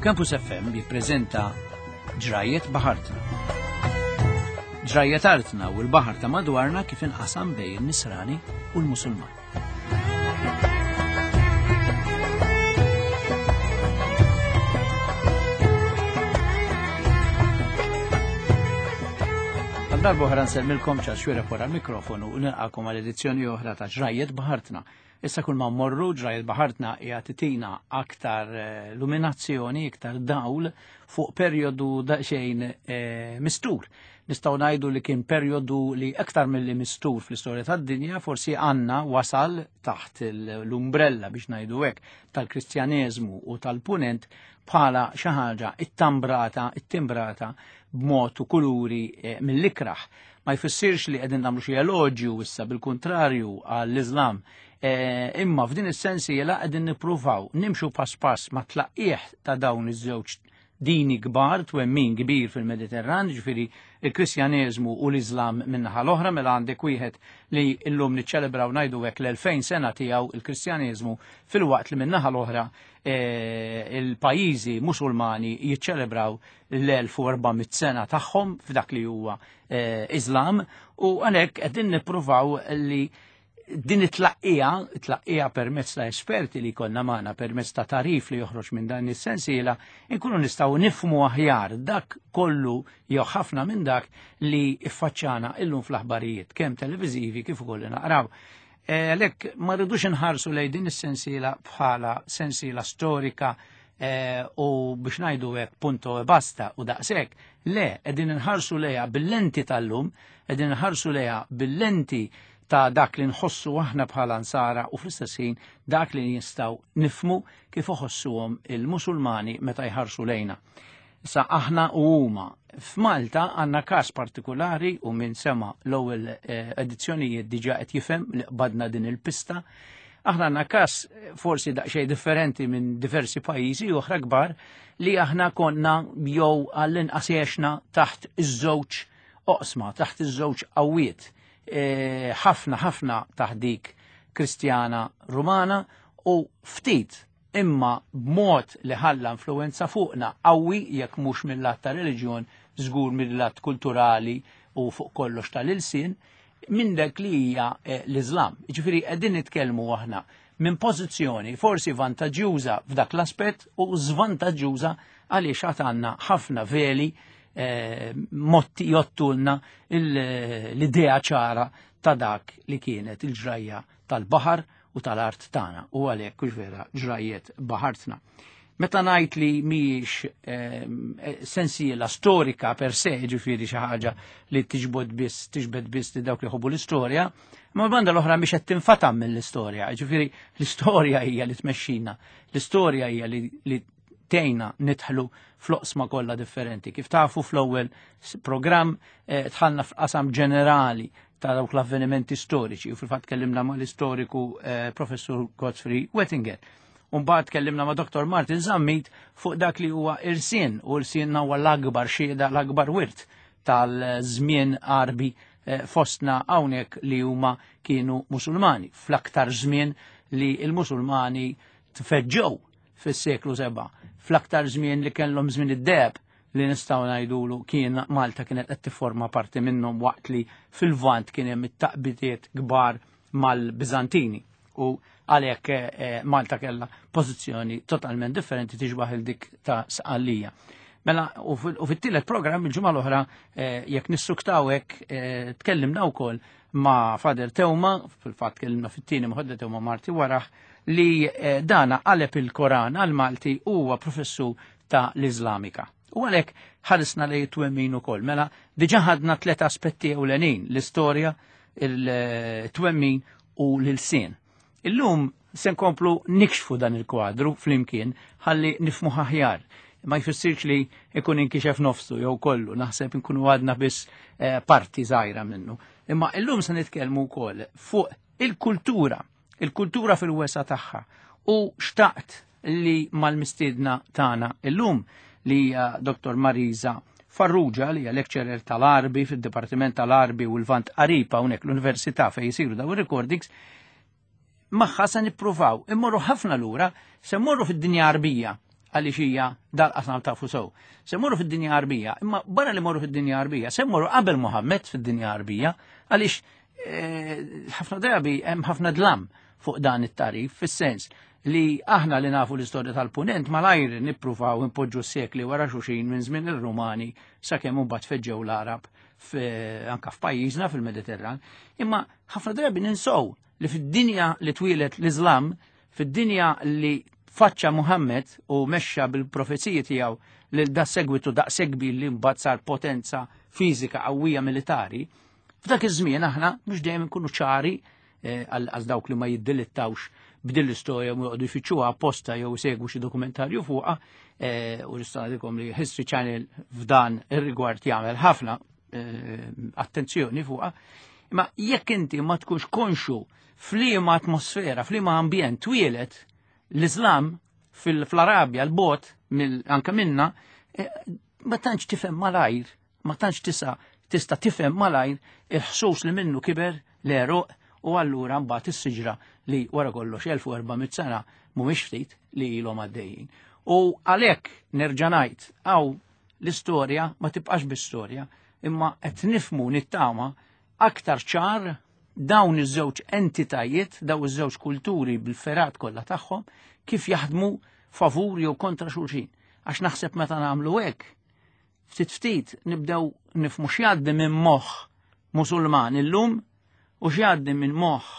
Campus FM jippreżenta Ġrajiet Baħartna. Ġrajiet artna u l-baħar ta' madwarna kif inqasam bejn in-Nisrani u l-Musulman. Darba oħra nsellmilkom ċas xwira wara l-mikrofonu u nilqakom għal edizzjoni oħra ta' Ġrajiet Baħartna. Issa kull ma mmorru ġrajjet baħartna hija titina aktar eh, luminazzjoni, iktar dawl fuq perjodu daqsxejn eh, mistur. Nistgħu ngħidu li kien perjodu li aktar milli mistur fl-istorja tad-dinja forsi għandna wasal taħt l-umbrella biex ngħidu hekk tal-Kristjaneżmu u tal-Punent bħala xi ħaġa ittambrata, ittimbrata b'mod u kuluri eh, mill-ikraħ. Ma jfissirx li qegħdin nagħmlu xi eloġju issa bil-kuntrarju għall-Iżlam. E, imma f'din is-sensiela qegħdin nippruvaw nimxu pass pass ma' tlaqqieħ ta' dawn iż-żewġ dini kbar, twemmin kbir fil-Mediterran, ġifieri il-Kristjaneżmu u l-Iżlam minnaħa l-oħra, mela għandek wieħed li llum niċċelebraw ngħidu hekk l-2000 sena tiegħu il-Kristjaneżmu filwaqt li minnaħa l-oħra e, il-pajjiżi Musulmani jiċċelebraw l-1400 sena tagħhom f'dak li huwa eh, Islam u għalhekk qegħdin nippruvaw li din it-tlaqqija, tlaqqija permezz ta' esperti li konna magħna permezz ta' tarif li joħroġ minn dan is-sensiela, inkunu nistgħu nifmu aħjar dak kollu jew ħafna minn dak li iffaċċana illum fl-aħbarijiet, kemm televiżivi kif ukoll naqraw. Eh, għalhekk ma rridux inħarsu lejn din is-sensiela bħala sensiela storika Eh, u biex ngħidu hekk punto e basta u daqshekk, le qegħdin inħarsu lejha bil-lenti tal-lum, qegħdin inħarsu lejha bil-lenti ta' dak li nħossu aħna bħala nsara u fl-istess ħin dak li nistgħu nifmu kif iħossuhom il-Musulmani meta jħarsu lejna. Sa aħna u huma. F'Malta għandna każ partikolari u minn sema l-ewwel eh, edizzjonijiet diġà qed jifhem li qbadna din il-pista. Aħna għandna każ eh, forsi daqsxejn differenti minn diversi pajjiżi oħra kbar li aħna konna jew għall-inqas għexna taħt iż-żewġ oqsma, taħt iż-żewġ qawwiet. Eh, ħafna ħafna taħt dik Kristjana Rumana u ftit imma b'mod li ħalla influwenza fuqna qawwi jekk mhux mill-lat ta' reliġjon żgur mill-lat kulturali u fuq kollox tal-ilsien minn dak li hija eh, l-Iżlam. Ġifieri qegħdin nitkellmu aħna minn pożizzjoni forsi vantaġġjuża f'dak l-aspett u żvantaġġjuża għaliex għad għandna ħafna veli eh, motti jottulna l-idea ċara ta' dak li kienet il-ġrajja tal-baħar u tal-art tagħna u għalhekk hux vera ġrajjet baħartna. Meta ngħid li mhijiex ehm, eh, sensiela storika per se, ġifieri xi ħaġa li tiġbod biss, tiġbed biss li dawk li ħobbu l-istorja, ma banda l-oħra mhix qed tinfatam mill-istorja, ġifieri l-istorja hija li tmexxina, l-istorja hija li tgħinna nidħlu fl-oqsma kollha differenti. Kif tafu fl-ewwel programm eh, dħalna f'qasam ġenerali ta' dawk l-avvenimenti storiċi u fil-fatt kellimna ma' l-istoriku eh, professur Godfrey Wettinger. Umbagħad kellimna ma' Dr. Martin Zammit fuq dak li huwa irsien u irsien huwa l-akbar xhieda l-akbar wirt tal-żmien Arbi eh, fostna hawnhekk li huma kienu Musulmani fl-aktar żmien li l-Musulmani tfeġġew fis-seklu 7 fl-aktar żmien li kellhom żmien id-deheb li nistgħu ngħidulu kien Malta kienet qed tifforma parti minnhom waqt li fil-Lvant kien hemm it-taqbidiet kbar mal-Biżantini u għalhekk eh, eh, Malta kellha pożizzjoni totalment differenti tixbaħ il dik ta' Sqallija. Mela, u fit-tielet programm il-ġimgħa l-oħra eh, jekk nissuktaw hekk tkellimna wkoll ma' Fader Teuma, fil-fatt tkellimna fit-tieni ma' Fader Teuma Marti waraħ, li dana qaleb il-Koran għal-Malti huwa professur ta' l-Iżlamika. U għalhekk ħarisna li twemmin ukoll. Mela diġà ħadna tlet aspetti ewlenin, l-istorja, il-twemmin u l-ilsien. Illum se nkomplu nikxfu dan il-kwadru flimkien ħalli nifmu aħjar. Ma jfissirx li ikun inkixef nofsu jew kollu, naħseb inkunu għadna biss eh, parti żgħira minnu. Imma illum se nitkellmu wkoll fuq il-kultura il-kultura fil-wesa tagħha u xtaqt li mal-mistiedna tagħna illum li hija Dr. Marisa Farrugia li hija lecturer tal-Arbi fid-Dipartiment tal-Arbi u l-Vant Qarib hawnhekk l-Università fejn jisiru daw ir-recordings magħha se nippruvaw immorru ħafna lura se mmorru fid-dinja Arbija. għaliex hija dal-qasam tafu sew. Se morru fid-dinja Għarbija, imma barra li morru fid-dinja Għarbija, se morru qabel Muhammed fid-dinja Għarbija, għaliex eh, ħafna drabi hemm ħafna dlam fuq dan it-tarif, fis-sens li aħna li nafu l-istorja tal-punent malajr nippruvaw impoġġu sekli wara xuxin minn żmien ir-Rumani sakemm imbagħad feġġew l-Arab anka f'pajjiżna fil-Mediterran. Imma ħafna drabi ninsow li fid-dinja li twieled l-Iżlam, fid-dinja li faċċa Muhammad u mexxa bil-profeziji tiegħu lil da segwitu daqshekk kbir li mbagħad sar potenza fiżika qawwija militari, f'dak iż-żmien aħna mhux dejjem inkunu ċari eh, għal dawk li ma jiddilittawx b'din l-istorja u joqogħdu jfittxuha apposta jew segwu xi dokumentarju fuqha eh, u nista' ngħidilkom li History Channel f'dan ir-rigward jagħmel ħafna eh, attenzjoni fuqha. Imma jekk inti ma tkunx konxu f'liema atmosfera, f'liema ambjent twielet l-Islam fil-Arabja, l-bot, anka minna, eh, ma tantx tifhem malajr, ma tantx tisa tista' tifhem malajr il-ħsus li minnu kiber l-eruq u allura mbagħad is-siġra li wara kollox 1400 sena mhumiex ftit li ilhom għaddejjin. U għalhekk nerġa' ngħid hawn l-istorja ma tibqax bi-storja, imma qed nifmu nittama aktar ċar dawn iż-żewġ entitajiet, dawn iż-żewġ kulturi bil-ferat kollha tagħhom kif jaħdmu favur jew kontra xulxin. Għax naħseb meta nagħmlu hekk, ftit ftit nibdew nifmu x'jgħaddi minn moħħ Musulman illum u x'jgħaddi minn moħħ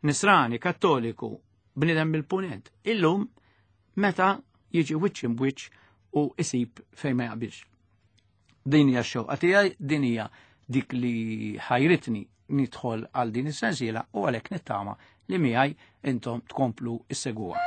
Nisrani Kattoliku bniedem mill-punent illum meta jiġi wiċċ imbwiċċ u isib fejn ma jaqbilx. Din hija x-xewqa tiegħi, din hija dik li ħajritni nidħol għal din is-sensiela u għalhekk nittama li miegħi intom tkomplu issegwuha.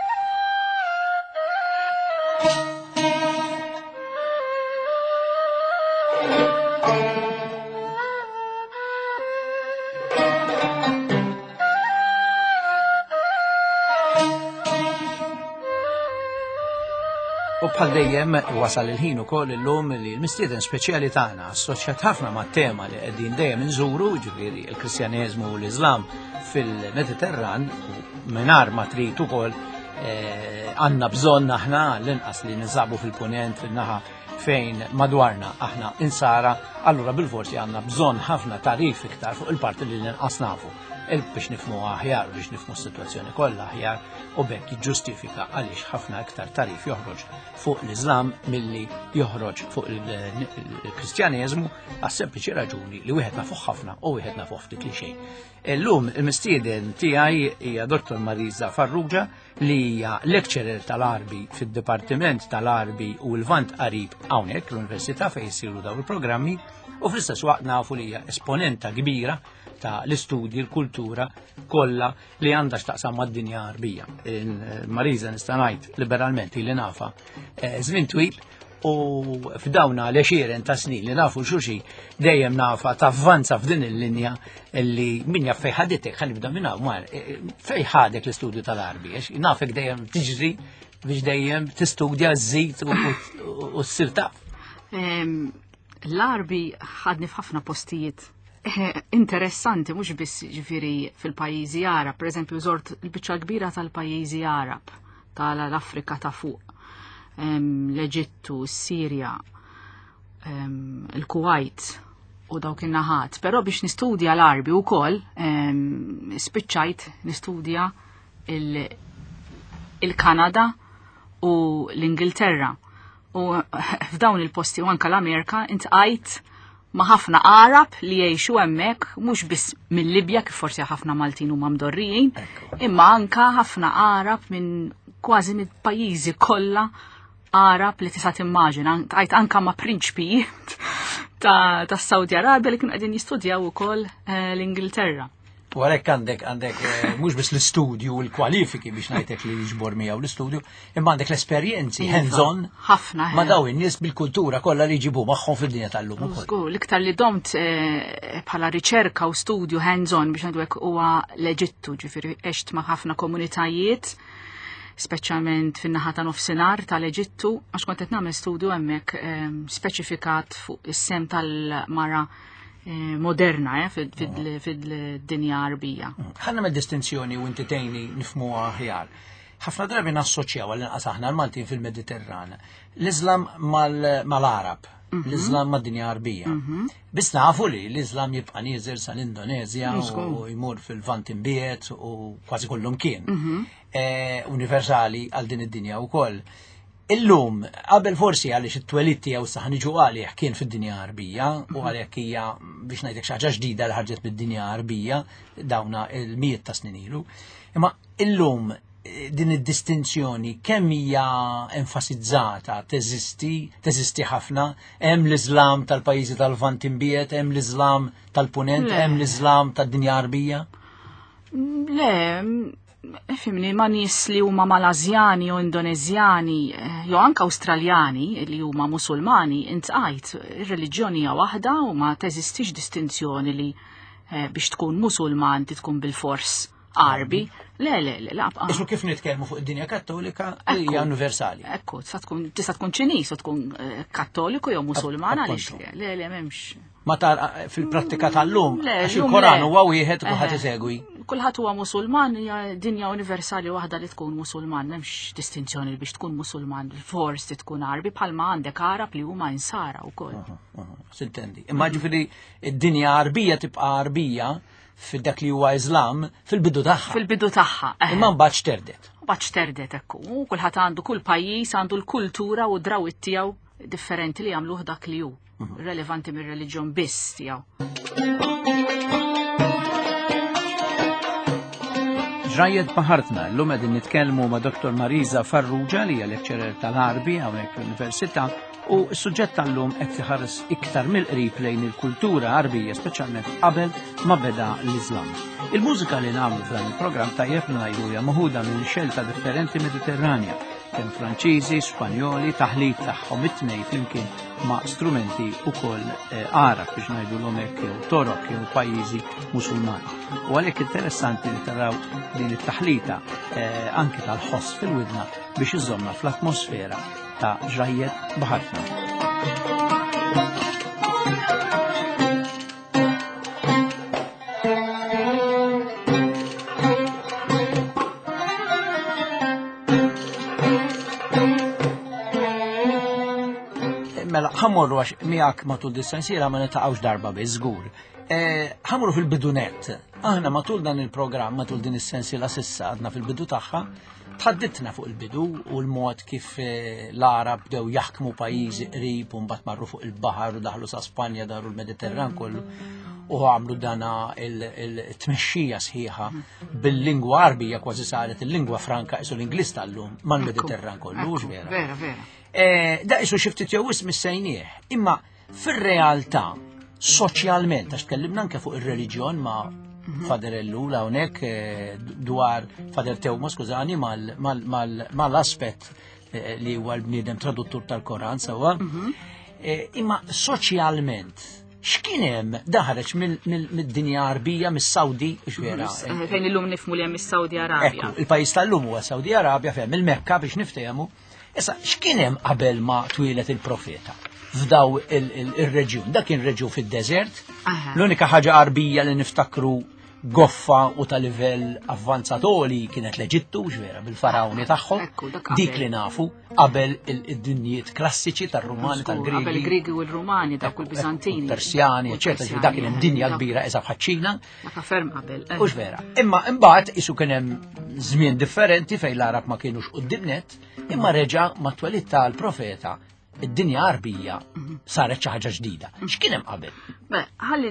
U bħal dejjem wasal il-ħin ukoll illum li l-mistieden speċjali tagħna assoċjat ħafna mat-tema li qegħdin dejjem inżuru, ġifieri l-Kristjaneżmu u l-Iżlam fil-Mediterran, mingħajr ma trid ukoll eh, għandna bżonn aħna l-inqas li ninsabu fil-punent fin-naħa fejn madwarna aħna insara, allura bil-forsi għandna bżonn ħafna tarif iktar fuq il-parti li l-inqas nafu biex nifmu aħjar, biex nifmu s-situazzjoni kollha aħjar u bekk jiġġustifika għaliex ħafna iktar tarif joħroġ fuq l-Iżlam milli joħroġ fuq il-Kristjaneżmu għas sempliċi raġuni li wieħed nafuh ħafna u wieħed nafuh ftit li xejn. Illum il-mistieden tiegħi hija Dr. Marisa Farrugia li hija lecturer tal-Arbi fid-Dipartiment tal-Arbi u l-Vant Qarib hawnhekk l-Università fejn jsiru dawn il-programmi u fl-istess waqt nafu li hija esponenta kbira ta' l-istudji, l-kultura kollha li għandha x'taqsam mad-dinja Arbija. Marisa nista' ngħid liberalment li nafa eh, żmien twil u f'dawna l-għexieren ta' snin li nafu xulxin dejjem nafa tavvanza f'din il-linja li min jaf fej ħaditek, ħa nibda minn hawn mar, e, e, fej ħadek l-istudju tal-Arbi, għax nafek dejjem tiġri biex dejjem tistudja żżid u ssir taf. L-Arbi ħadni f'ħafna postijiet eh, interessanti mhux biss ġifieri fil-pajjiżi Arab, pereżempju żort il-biċċa kbira tal-pajjiżi Arab tal-Afrika ta' fuq, l-Eġittu, s-Sirja, il-Kuwait u dawk in-naħat. Però biex nistudja l-Arbi wkoll spiċċajt nistudja il-Kanada u l-Ingilterra. U f'dawn il-posti u anka l-Amerika intqajt ma' ħafna Arab li jgħixu hemmhekk mhux biss mill-Libja kif forsi ħafna Maltin huma mdorrijin, imma anka ħafna Arab minn kważi mill-pajjiżi kollha Arab li tista' timmaġina, għajt anka ma' prinċpijiet ta' Saudi Arabia li kienu qegħdin jistudjaw ukoll eh, l-Ingilterra. U għalhekk għandek għandek eh, mhux biss l-istudju u l-kwalifiki biex ngħidlek li jiġbor miegħu l-istudju, imma għandek l-esperjenzi iva, hands-on ħafna ma' eh. daw in-nies bil-kultura kollha li jġibu magħhom fid-dinja tal-lum ukoll. Żgur, l-iktar li domt eh, bħala riċerka u studju hands-on biex ngħidu hekk huwa l-Eġittu, ġifieri għext ma' ħafna komunitajiet speċjalment fin-naħa ta' nofsinhar tal-Eġittu, għax kont qed nagħmel studju hemmhekk speċifikat fuq is-sem tal-mara Eh, moderna eh, fid-dinja arbija. Ħanna me distinzjoni u inti tgħinni nifhmuha aħjar. Ħafna drabi nassoċjaw għall-inqas aħna l-Maltin fil-Mediterran l-Islam mal-Arab, l-Islam mad-dinja Arbija. Biss nafu li l-Islam jibqa' nieżel sal-Indonezja u jmur fil-Lvant imbiegħed u kważi kullum kien. Universali għal din id-dinja wkoll. Illum, qabel forsi għaliex it-twelid tiegħu sa ħniġu għalih kien fid-dinja Arbija u għalhekk hija biex ngħidlek xi ħaġa ġdida li ħarġet mid-dinja Arbija dawna il-mijiet ta' snin ilu. Imma illum din id-distinzjoni kemm hija enfasizzata, teżisti, teżisti ħafna, hemm l-Iżlam tal-pajjiżi tal-Lvant imbiegħed, hemm l-Iżlam tal-Punent, hemm l-Iżlam tad-dinja Arbija? Le, fimni, ma nies li huma Malażjani u Indonezjani, jew anke Awstraljani li huma Musulmani, intqajt, ir-reliġjoni hija waħda u ma teżistix distinzjoni li biex tkun Musulman tkun bil-fors Arbi. Le, le, le, la, Isu kif nitkellmu fuq id-dinja Kattolika li hija universali. Ekku, tista' tkun Ċiniż u tkun Kattoliku jew Musulman għaliex le, le, m'hemmx. Ma tar fil-prattika tal-lum, għax il-Koran huwa wieħed u kulħadd isegwi. Kulħadd huwa Musulman, hija dinja universali waħda li tkun Musulman, m'hemmx distinzjoni biex tkun Musulman, fors li tkun Arbi bħalma għandek Arab li huma insara wkoll. Sintendi. Imma ġifieri id-dinja Arbija tibqa' Arbija f'dak li huwa Islam fil-bidu tagħha. Fil-bidu tagħha. Imma mbagħad xterdet. Mbagħad xterdet ekku. U kulħadd għandu kull pajjiż għandu l-kultura u d-drawwiet tiegħu differenti li jagħmluh dak li hu. Relevanti mir-reliġjon biss tiegħu. Ġrajjet baħartna, llum qegħdin nitkellmu ma' Dr. Marisa Farrugia li hija lecturer tal-Għarbi hawnhekk fl-Università u s-suġġett tal-lum qed iħares iktar mill-qrib lejn il-kultura Għarbija, speċjalment qabel ma beda l-Iżlam. Il-mużika li nagħmlu f'dan il-programm tajjeb ngħidu hija moħuda minn xelta differenti Mediterranja, kemm Franċiżi, Spanjoli, taħlit tagħhom it-tnejn flimkien ma' strumenti ukoll Għarab biex ngħidulhom hekk jew Torok jew pajjiżi Musulmani. U għalhekk interessanti li taraw din it-taħlita anki tal-ħoss fil-widna biex iżomna fl-atmosfera ta' ġrajjet baħartna. Mela, ħammorru għax miegħek matul dis-sensiela ma niltaqgħux darba biss żgur. Ħammorru fil-bidunet. Aħna matul dan il-programm, matul din is-sensiela sissa għadna fil-bidu tagħha, tħadditna fuq il-bidu u l-mod kif l-Arab bdew jaħkmu pajjiżi qrib u mbagħad marru fuq il-baħar u daħlu sa Spanja daru l-Mediterran kollu u għamlu dana il-tmexxija sħiħa bil-lingwa Arbija kważi saret il-lingwa franka isu l-Ingliż tal-lum mal-Mediterran kollu, hux vera? Vera, vera. Da isu xi ftit jew wisq missejnieh, imma fir-realtà soċjalment, għax tkellimna anke fuq ir-reliġjon ma' Fader Ellul hawnhekk dwar Fader Tewma, skużani, mal-aspett li huwa l-bniedem traduttur tal-Koran sewwa. Imma soċjalment x'kien hemm daħreġ mid-dinja Arbija, mis-Sawdi, hux vera? Fejn illum nifhmu li hemm is-Saudi Arabja. Ekku, il-pajjiż tal-lum huwa Saudi Arabja fejn il-Mekka biex niftehmu. Issa, x'kien hemm qabel ma twieled il-profeta f'daw il-reġjun? Dak kien reġjun fid-deżert. L-unika ħaġa Arbija li niftakru goffa u ta' livell avvanzatoli kienet l-Eġittu, vera, bil-farawni tagħhom. Ekku, dak qabel. Dik li nafu qabel id-dinjiet klassiċi tar-Rumani, tal-Griegi. Qabel il-Griegi u l-Rumani, dawk il-Biżantini. Persjani, U eċetera, l-Persjani, dak kien hemm dinja dak kbira eżab ħaċ-Ċina. Dak ferm qabel. Hux vera. Imma imbagħad isu kien hemm żmien differenti fejn l-Arab ma kienux quddiem net, imma reġa' mat-twelid tal-profeta id-dinja Arbija saret xi ħaġa ġdida. X'kien hemm qabel? Beh, ħalli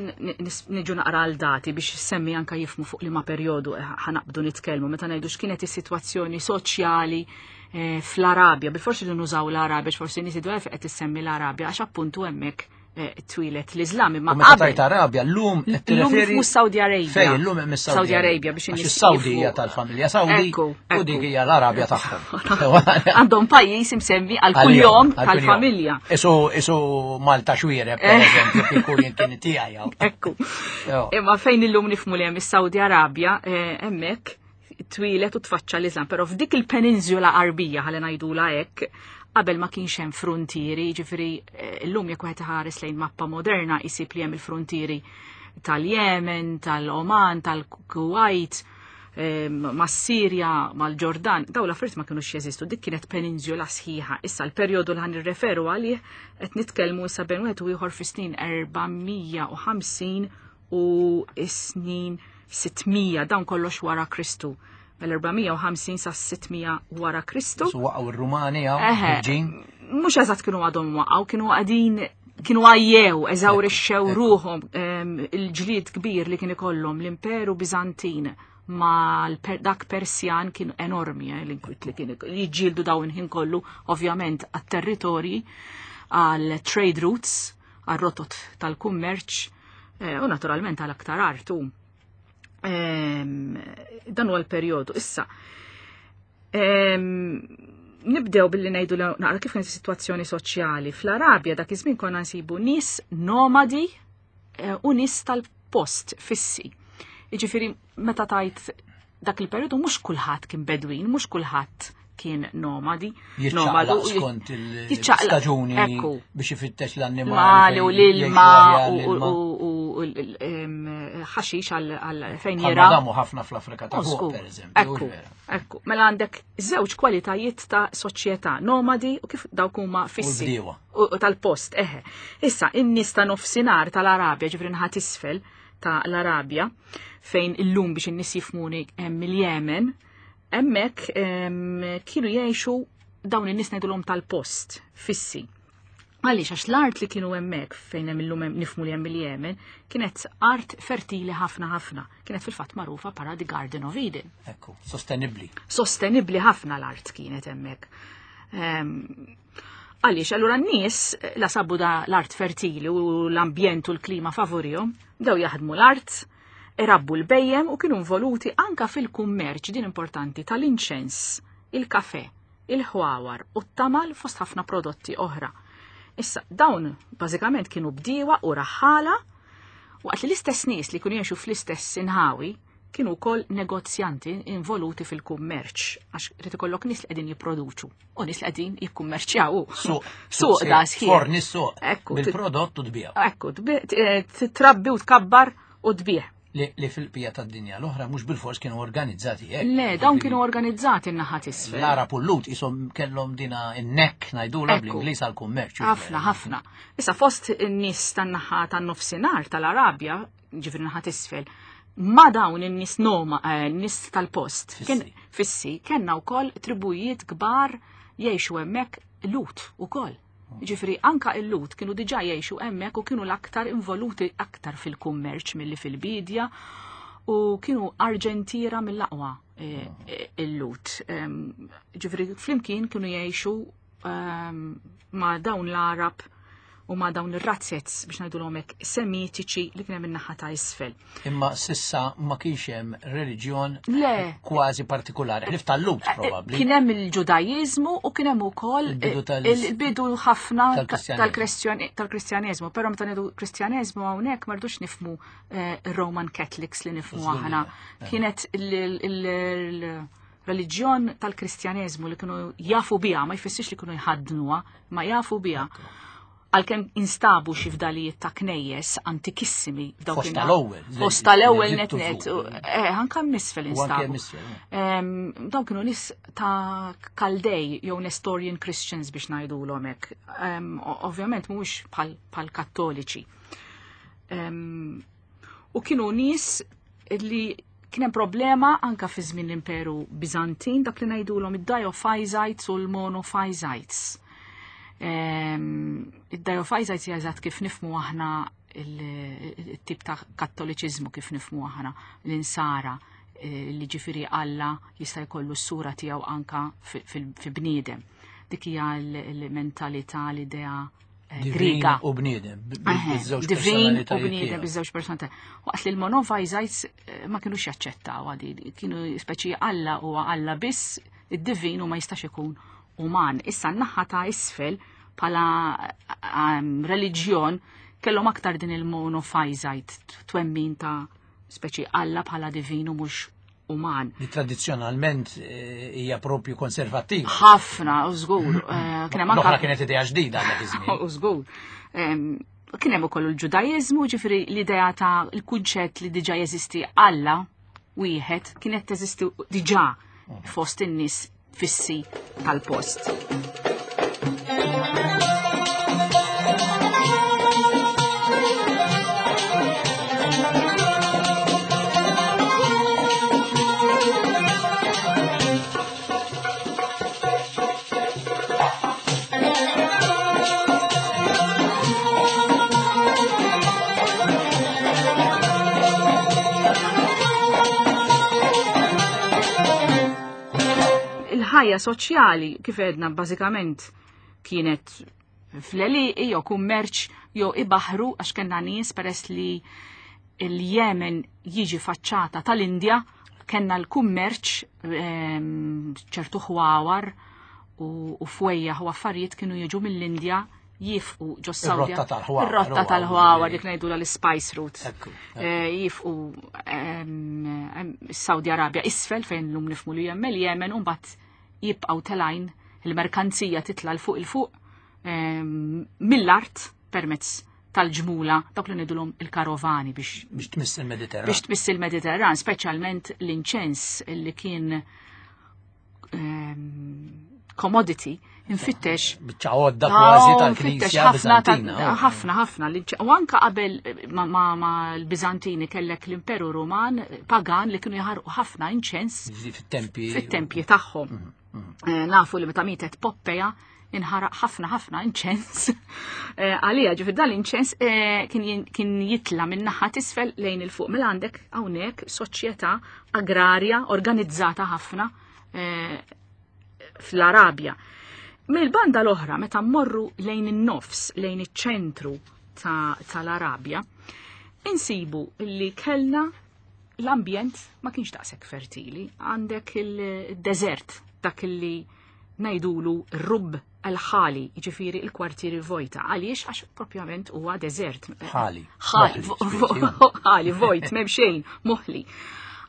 niġu naqra għal dati biex semmi anka jifmu fuq liema perjodu ħanaqbdu nitkellmu meta ngħidu x'kienet is-sitwazzjoni soċjali fl-Arabja. Bil-forsi li nużaw l-Arabja, għax forsi nies jgħidu qed issemmi l-Arabja għax appuntu hemmhekk twilet l-Islam, imma U meta qabel tajt Arabja, llum qed Llum tirreferi mhux Saudi Arabia. Fejn illum hemm is-Saudi Saudi Arabia biex Għax in-nies is-Saudi hija jifhmu. tal-familja Saudi Ekku, u dik ekku. hija l-Arabja tagħhom. Għandhom pajjiż imsemmi għal Għal kuljom jom, għal kuljom. tal-familja. Isu Malta xwiereb, per eżempju, kieku jien kien tiegħi hawn. Ekku. Jo. Imma fejn illum nifhmu li hemm is-Saudi Arabja, hemmhekk twilet u tfaċċa l-Islam, però f'dik il-peninsula Arbija ħalli ngħidula hekk, qabel ma kienx hemm frontieri, jiġifieri llum jekk wieħed iħares lejn mappa moderna jsib li hemm il-frontieri tal-Yemen, tal-Oman, tal-Kuwait, mas-Sirja, mal-Ġordan, daw l-affarijiet ma kinux jeżistu, dik kienet peninsula sħiħa. Issa l-perjodu li ħan nirreferu għalih qed nitkellmu issa bejn wieħed u ieħor fis-snin 450 u s-snin 600 dawn kollox wara Kristu. Mill-450 sa 600 wara Kristu. So waqgħu r-Rumani hawn Mhux eżatt kienu għadhom waqgħu, kienu għadin kienu għajjew, eżawrixxew ruħhom il-ġlied kbir li kien ikollhom l-Imperu Biżantin ma dak Persjan kien enormi eh, l-inkwit li kien jiġġieldu dawn ħin kollu ovvjament għat-territorji għal trade routes għal rotot tal-kummerċ eh, u naturalment għal aktar artu. Dan huwa l-perjodu. Issa, nibdew billi ngħidu naqra kif kienet is-sitwazzjoni soċjali. Fl-Arabja dak iż-żmien konna nsibu nies nomadi eh, u nies tal-post fissi. Jiġifieri meta tajt dak il-perjodu mhux kulħadd kien bedwin, mhux kulħadd kien nomadi. Nomadu skont il-staġuni biex ifittex l-annimali u l-ilma u ħaxix għal fejn jira. Damu ħafna fl-Afrika ta' fuq, per eżempju. Ekku, mela għandek żewġ kwalitajiet ta' soċjetà, nomadi u kif dawk huma fissi. U tal-post, eħe. Issa, in-nies ta' nofsinhar tal-Arabja, ġifri nħat isfel ta' l-Arabja, fejn illum biex in-nies jifmuni hemm il-Jemen, hemmhekk kienu jgħixu dawn in-nies ngħidulhom tal-post, fissi. Għaliex għax l-art li kienu hemmhekk fejn hemm illum nifmu li hemm il-Jemen kienet art fertili ħafna ħafna. Kienet fil-fatt magħrufa para the Garden of Eden. Ekku, sostenibbli. Sostenibbli ħafna l-art kienet hemmhekk. Ehm, għaliex, allura n-nies la sabu da l-art fertili u l-ambjent u l-klima favorihom, bdew jaħdmu l-art, irabbu l-bejjem u kienu involuti anka fil-kummerċ din importanti tal-inċens, il-kafe, il-ħwawar u t-tamal fost ħafna prodotti oħra. Issa, dawn bażikament kienu bdiewa u raħħala waqt li l-istess nies li kienu jgħixu fl-istess inħawi kienu wkoll negozjanti involuti fil-kummerċ għax rid ikollok nies li qegħdin jipproduċu u nies li qegħdin jikkummerċjaw. Suq, suq da sħiħ. Forni suq. Ekku. Bil-prodott u tbieħ. Ekku, eh, trabbi u tkabbar u tbieħ. Li fil-qbija tad-dinja l-oħra mhux bilfors kienu organizzati hekk. Le, dawn kienu organizzati n-naħa t'isfel. L-Arab u l-Lut isom kellhom dina n-nekk ngħidulha bl-Ingliż għall-kummerċ. Ħafna, ħafna. Issa fost in-nies tan-naħa tan-nofsinhar tal-Arabja, ġifieri naħa t'isfel, ma dawn in-nies noma, eh, nies tal-post, fissi, kellna wkoll tribujiet kbar jgħixu hemmhekk Lut ukoll. Ġifri, anka il-Lut kienu diġa jgħixu hemmhekk u kienu l-aktar involuti aktar fil-kummerċ milli fil-bidja u kienu arġentira mill-aqwa eh, eh, il-Lut. Ġifri, flimkien kienu jgħixu ma' dawn l-Arab u ma' dawn ir-razzets biex ngħidulhom hekk semitiċi li kien hemm in-naħa ta' isfel. Imma sissa ma kienx hemm reliġjon kważi partikolari, ħlif tal-Lut eh, eh, probabbli. Kien hemm il-Ġudajiżmu u kien hemm ukoll il-bidu ħafna tal-Kristjaneżmu, però meta ngħidu Kristjaneżmu hawnhekk ma rridux nifmu eh, Roman Catholics li nifmu aħna. Kienet il- reliġjon tal-Kristjaneżmu li kienu jafu biha, ma jfissirx li kienu jħaddnuha, ma jafu biha. Għalkemm instabu xi fdalijiet ta' knejjes antikissimi f'dawk Fost tal-ewwel. Fost tal-ewwel net net. Eh, anke misfel instabu. Dawn kienu nies ta' Kaldej jew Nestorian Christians biex ngħidulhom hekk. Ovvjament mhuwiex bħal Kattoliċi. U kienu nies li kien hemm problema anka fi żmien l-Imperu Biżantin dak li ngħidulhom id-Diophysites u l-Monophysites. Ehm, id-Diophysites hija eżatt kif nifmu aħna il-tip ta' kattoliċiżmu kif nifmu aħna l-insara eh, li ġifiri Alla jista' jkollu s-sura tiegħu anka fi bniedem. Dik hija l-mentalità, l-idea Eh, Griega. U bniedem. Divin u bniedem biż-żewġ personalità. Waqt li l-Monophysite eh, ma kienux jaċċettaw għadi, kienu speċi Alla u Alla biss, id-divin u ma jistax ikun uman. Issa n-naħa ta' isfel pala ehm, reliġjon kellhom aktar din il-Monophysite twemmin ta' speċi Alla bħala divin u mhux uman. Li tradizzjonalment eh, hija propju konservattiva. Ħafna, u żgur. Eh, kien hemm anke kienet idea ġdida dak iż-żmien. U żgur. Kien hemm ukoll il-Ġudaiżmu, ġifieri l-idea ta' l-kunċett li diġà jeżisti Alla wieħed kienet teżisti diġà fost in-nies fissi tal-post. Il-ħajja soċjali kif għedna bażikament kienet fl-għelieqi jew kummerċ jew ibaħru għax kellna nies peress li l-Jemen jiġi faċċata tal-Indja kellna l-kummerċ ehm, ċertu ħwawar u fwejjaħ u affarijiet kienu jiġu mill-Indja jifqu ġo Sawdja. Ir-rotta tal-ħwawar. Ir-rotta tal-ħwawar dik ngħidu l-Spice Route. Eh, jifqu ehm, Saudi Arabia isfel fejn lum nifmu li hemm il-Jemen u mbagħad jibqgħu telajn il-merkanzija titla' l fuq il fuq ehm, mill-art permezz tal-ġmula dawk li ngħidulhom il-karovani biex biex tmiss il-Mediterran. Biex tmiss il-Mediterran, speċjalment l-inċens li kien ehm, commodity infittex. Biċċa għodda kważi tal-Knisja Bizantina. Oh. Ħafna, ħafna. U anka qabel ma l-Bizantini kellek l-Imperu Ruman pagan li kienu jaħarqu ħafna inċens fit-tempji fit-tempji tagħhom. Mhm, mhm. Eh, nafu li meta mietet Poppeja inħaraq ħafna ħafna inċens. Eh, għalija ġifir dan l-inċens eh, kien jitla minn naħa tisfel lejn il-fuq. Mela għandek hawnhekk soċjetà agrarja organizzata ħafna fl-Arabja. Mill-banda l-oħra, meta mmorru lejn in-nofs, lejn iċ-ċentru tal-Arabja, insibu li kellna l-ambjent ma kienx daqshekk fertili. Għandek il-deżert dak li ngħidulu rub al-ħali, jiġifieri il-kwartieri vojta. Għaliex għax propjament huwa deżert. Ħali. Ħali, ħali, vojt, m'hemm xejn, moħli.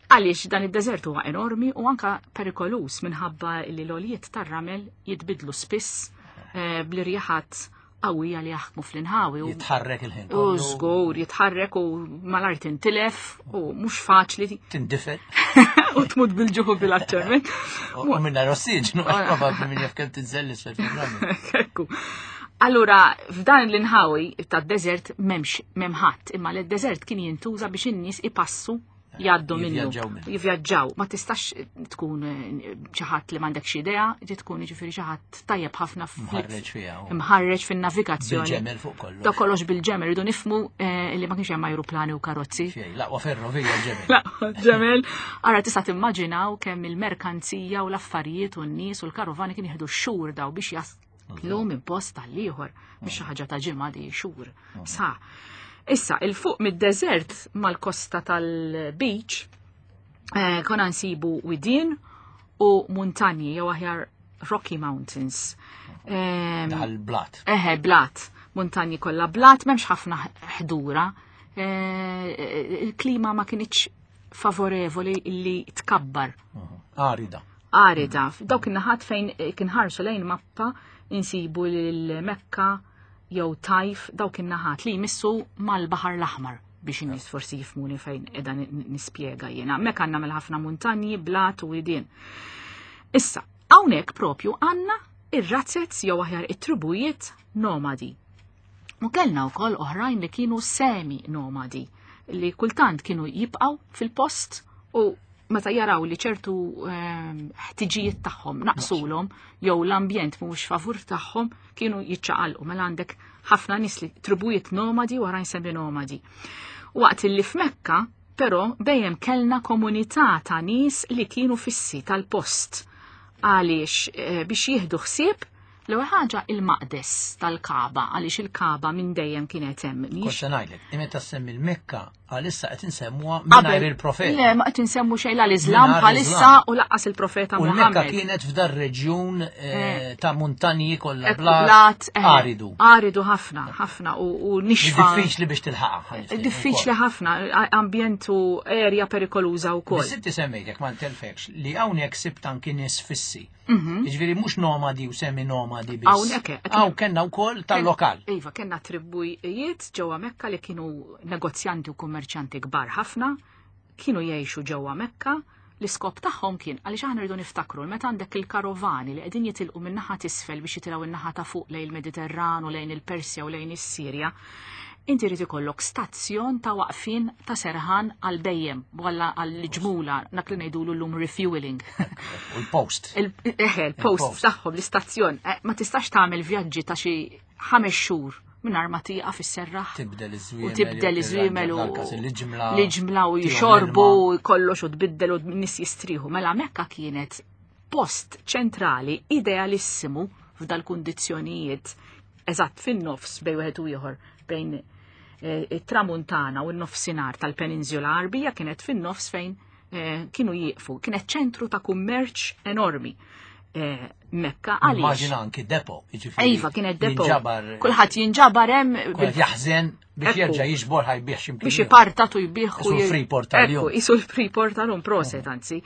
Għaliex dan id-deżert huwa enormi u anka perikolus minħabba li l-oljiet tar-ramel jitbidlu spiss eh, bl-irjaħat qawwija li jaħkmu fl-inħawi. Jitħarrek il-ħin. U żgur, jitħarrek u mal-art tintilef u mhux faċli. Tindifel. U tmut bil-ġuħu bil-aċċerment. U minna rossiġnu, probabbli minn jaf kemm tinżel l-isfel Ekku. Allura, f'dan l-inħawi tad-deżert m'hemmx m'hemm imma l-deżert kien jintuża biex in-nies ipassu jgħaddu minnu. Jivvjaġġaw. Ma tistax tkun eh, xi ħadd li m'għandekx idea, ġi tkun jiġifieri xi ħadd tajjeb ħafna mħarreġ fiha. Mħarreġ fin-navigazzjoni. Bil-ġemel fuq kollox. Da kollox bil-ġemel, rridu nifmu eh, li ma kienx hemm ajruplani u karozzi. Laqwa ferrovija ġemel. Laqwa ġemel. Ara tista' timmaġinaw kemm il-merkanzija u l-affarijiet u n-nies u l-karovani kien jieħdu xhur daw biex jas Lu minn post għall-ieħor, mhix xi ħaġa ta' ġimgħa di xhur. Sa. Issa, il-fuq mid-deżert mal-kosta tal-beach, eh, konna nsibu widien u muntanji jew aħjar Rocky Mountains. Ehm, Dal-blat. Eħe, blat. Muntanji kollha blat, m'hemmx ħafna ħdura. Eh, il-klima ma kienx favorevoli li tkabbar. Arida. Arida. Dawk in-naħat fejn kien ħarsu lejn mappa insibu l-Mekka jew Tajf dawk in-naħat li jmissu mal-Baħar l-Aħmar biex in-nies forsi jifmuni fejn qiegħda nispjega jiena. Hemmhekk għandna mela ħafna muntanji, blat u widien. Issa, hawnhekk propju għandna ir-razzez jew aħjar it-tribujiet nomadi. U kellna wkoll oħrajn li kienu semi nomadi li kultant kienu jibqgħu fil-post u meta jaraw li ċertu ehm, ħtiġijiet tagħhom naqsulhom jew l-ambjent mhuwiex favur tagħhom kienu jiċċaqalqu mela għandek ħafna nies li tribujiet nomadi u oħrajn semi nomadi. Waqt li f'Mekka però dejjem kellna komunità ta' nies li kienu fissi tal-post għaliex eh, biex jieħdu ħsieb L-ewwel ħaġa il-maqdes tal-Kaba għaliex il-Kaba minn dejjem kienet hemm. Kont se ngħidlek, meta semmi l-Mekka għalissa qed insemmuha mingħajr il-profeta. Le, ma qed insemmu xejn la l-Iżlam bħalissa u laqqas il-profeta Muhammad. U l-Mekka kienet f'dar reġjun eh, eh. ta' muntanji kollha blat eh, aridu. Aridu ħafna, ħafna u nixfa. Diffiċli biex tilħaqha. Diffiċli ħafna, ambjent u erja perikoluża wkoll. Biss inti semmejtek ma ntelfekx li hawnhekk sibt anki nies fissi. Mhm. Jiġifieri mhux nomadi u semi nomadi biss. Hawnhekk. Hawn kellna wkoll tal-lokal. Iva, kellna tribujiet ġewwa Mekka li kienu negozjanti u kummerċjanti kbar ħafna. Kienu jgħixu ġewwa Mekka, l-iskop tagħhom kien għaliex aħna rridu niftakru li meta għandek il-karovani li qegħdin jitilqu min-naħa t'isfel biex jitilgħu in-naħa ta' fuq lejn il-Mediterran u lejn il-Persja u lejn is-Sirja, inti jrid ikollok stazzjon ta' waqfien ta' serħan għal bejjem, walla għal ġmula, dak li ngħidulu llum refueling. U l-post. Il-post tagħhom, l-istazzjon. Eh, ma tistax tagħmel vjaġġi ta' xi ħames xhur mingħajr ma tieqaf isserraħ. Tibdel iż-żwiemel. U tibdel iż-żwiemel u l-ġimla. L-ġimla u jxorbu kollox u tbiddel u nis jistrieħu. Mela Mekka kienet post ċentrali idealissimu f'dal-kundizzjonijiet eżatt fin-nofs bejn wieħed u ieħor bejn eh, it-tramuntana u n-nofsinhar tal-Peninsula Arbija kienet fin-nofs fejn eh, kienu jieqfu. Kienet ċentru ta' kummerċ enormi. Eh, Mekka għaliex. Immaġina anki depo, jiġifieri. Iva, kienet depo. Kulħadd jinġabar hemm. Kulħadd jaħżen biex jerġa' jiġbor ħajbih x'imkien. Biex ipartat u jbih. Isu l-Freeport tal-jum. Isu l-Freeport tal-jum, proset anzi.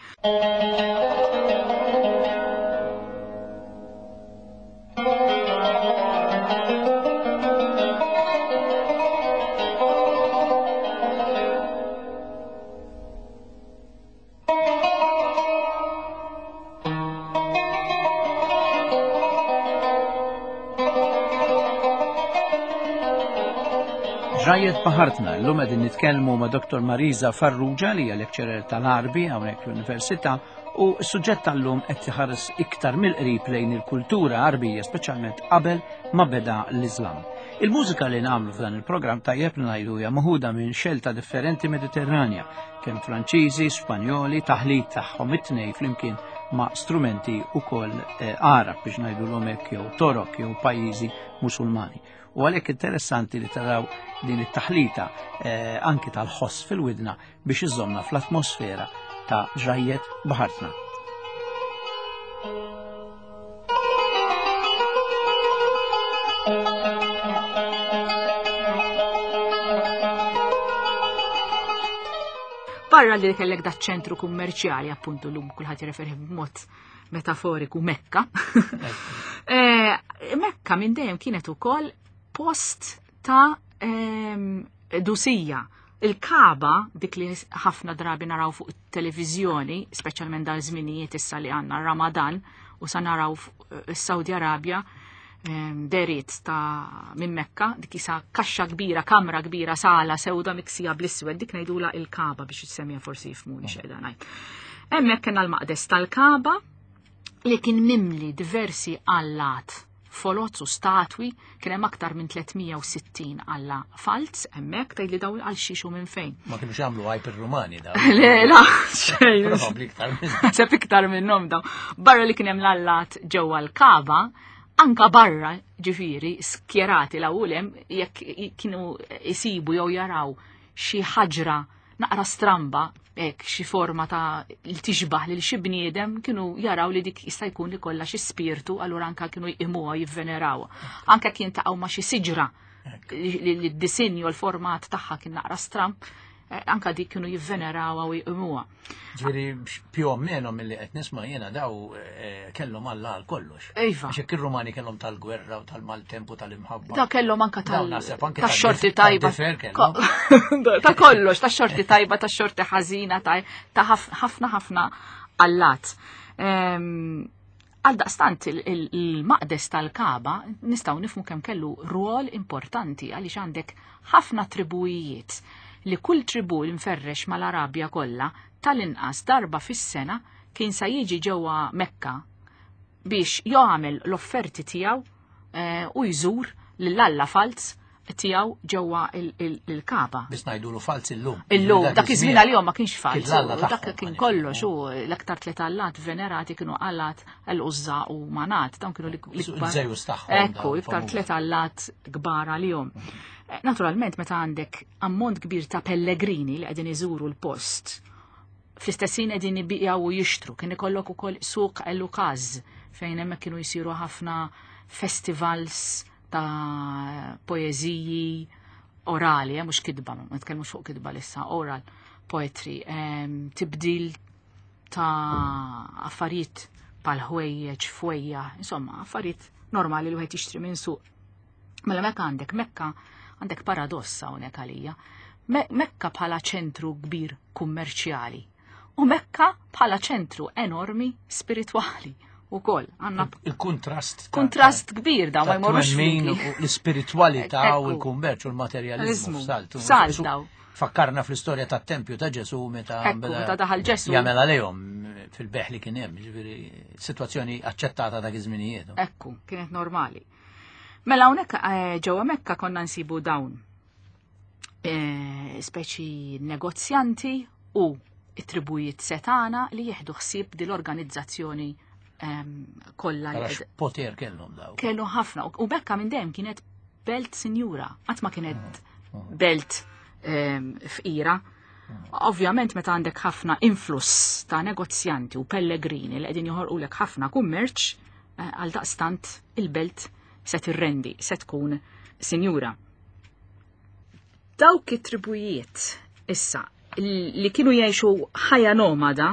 Ġrajiet baħartna, l-lum qegħdin nitkellmu ma' Dr. Marisa Farrugia li hija lecturer tal-Arbi hawnhekk l-Università u s-suġġett tal-lum qed iħares iktar mill-qrib lejn il-kultura Arbija, speċjalment qabel ma beda l-Iżlam. Il-mużika li nagħmlu f'dan il-programm tajjeb li ngħidu hija maħuda minn xelta differenti Mediterranja, kemm Franċiżi, Spanjoli, taħlit tagħhom it-tnej flimkien ma' strumenti ukoll eh, Arab biex ngħidu l jew Torok jew pajjiżi Musulmani. U għalhekk interessanti li taraw din it-taħlita eh, anki tal-ħoss fil-widna biex iżomna fl-atmosfera ta' ġrajjet baħartna. Barra li kellek da ċentru kummerċjali, appuntu l-lum kulħadd jirreferi b'mod metaforiku Mekka. Eh, Mekka minn dejjem kienet ukoll post ta' ehm, dusija. Il-Kaba, dik li ħafna drabi naraw fuq it-televiżjoni, speċjalment dal żminijiet issa li għandna Ramadan u sa naraw is-Saudi Arabja, ehm, deriet ta' minn Mekka, dik isa kaxxa kbira, kamra kbira, sala sewda miksija bl-iswed, dik ngħidula il-Kaba biex issemmija forsi jifmuni x'qiegħda ngħid. Hemmhekk kellna l-maqdes tal-Kaba li kien mimli diversi allat foloz u statwi, kien hemm aktar minn 360 alla falz hemmhekk tgħid li dawn għal xiex u minn fejn. Ma kienux jagħmlu għajb ir-Rumani dawn. Le, la, xejn. Probabbli iktar minnhom. Seb iktar minnhom dawn. Barra li kien hemm l-allat ġewwa l-Kaba, anka barra ġifieri skjerati l hemm jekk kienu isibu jew jaraw xi ħaġra naqra stramba, hekk xi forma ta' li tixbaħ lil xi bniedem kienu jaraw li dik jista' jkun li kollha xi spirtu, allura anka kienu jqimuha jivvenerawha. Anke kien taqgħu ma' xi siġra li d-disinju l-format tagħha kien naqra stramb, eh, anka dik kienu jivvenerawha u jqimuha. Ġifieri più o meno milli qed nisma' jiena daw eh, kellhom Alla għal kollox. Iva. Għax hekk ir-Rumani kellhom tal-gwerra u tal-maltemp u tal-imħabba. Da kellhom anka tal tax-xorti tajba. Ta' kollox, tax-xorti tajba, tax-xorti ħażina, ta' ħafna ħafna allat. Ehm, għal daqstant il-maqdes tal-Kaba nistgħu nifmu kemm kellu rwol importanti għaliex għandek ħafna tribujiet li kull tribu li mferrex mal-Arabja kollha tal-inqas darba fis-sena kien sa jiġi ġewwa Mekka biex jagħmel l-offerti tiegħu eh, u jżur lil Alla falz tiegħu ġewwa il-Kaba. Biss ngħidulu falz illum. Illum, dak iż-żmien għalihom ma kienx falz. Dak kien kollox u l-aktar tliet allat venerati kienu allat l-Uzza u Manat, dawn kienu l-ikbar. Ekku, iktar tliet allat kbar għalihom. Eh, naturalment, meta għandek ammont kbir ta' pellegrini li qegħdin iżuru l-post, fl-istessin qegħdin ibiqgħu u jixtru, kien ikollok ukoll suq el-Ukaz fejn hemmhekk kienu jsiru ħafna festivals ta' poeżiji orali, eh, mhux kitba, ma nitkellmux fuq kitba lissa, oral poetry, ehm, tibdil ta' affarijiet pal ħwejjeġ, fwejja, insomma, affarijiet normali li wieħed jixtri minn suq. Mela mekka għandek Mekka għandek paradossa hawnhekk għalija. Mekka bħala ċentru kbir kummerċjali u Mekka bħala ċentru enormi spiritwali u koll. Għanna il-kontrast. Kontrast kbir daw ma jmorrux. L-spiritualità u l-kummerċ u l-materjalizmu. Salt daw. Fakkarna fl-istorja tat-tempju ta' Ġesu meta meta daħal Ġesu. Jagħmel għalihom fil-beħ li kien hemm, ġifieri sitwazzjoni aċċettata dak iż-żminijiet. Ekku, kienet normali. Mela hawnhekk eh, ġewwa Mekka konna nsibu dawn eh, speċi negozjanti u it-tribujiet setana li jieħdu ħsieb din l-organizzazzjoni ehm, kollha. Poter kellhom daw. Kellu ħafna u Mekka minn dejjem kienet belt sinjura, qatt ma kienet mm. belt ehm, fqira. Mm. Ovvjament meta għandek ħafna influss ta' negozjanti u pellegrini li qegħdin joħorqulek ħafna kummerċ, eh, għal daqstant il-belt se tirrendi, se tkun sinjura. Dawk it-tribujiet issa li kienu jgħixu ħajja nomada,